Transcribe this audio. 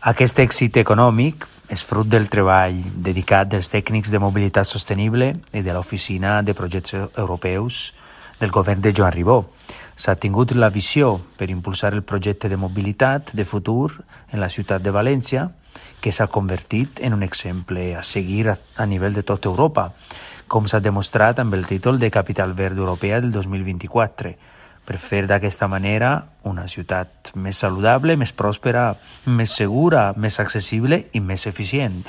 Aquest èxit econòmic és fruit del treball dedicat dels tècnics de mobilitat sostenible i de l'Oficina de Projectes Europeus del govern de Joan Ribó. S'ha tingut la visió per impulsar el projecte de mobilitat de futur en la ciutat de València, que s'ha convertit en un exemple a seguir a nivell de tota Europa, com s'ha demostrat amb el títol de Capital Verd Europea del 2024, per fer d'aquesta manera una ciutat més saludable, més pròspera, més segura, més accessible i més eficient.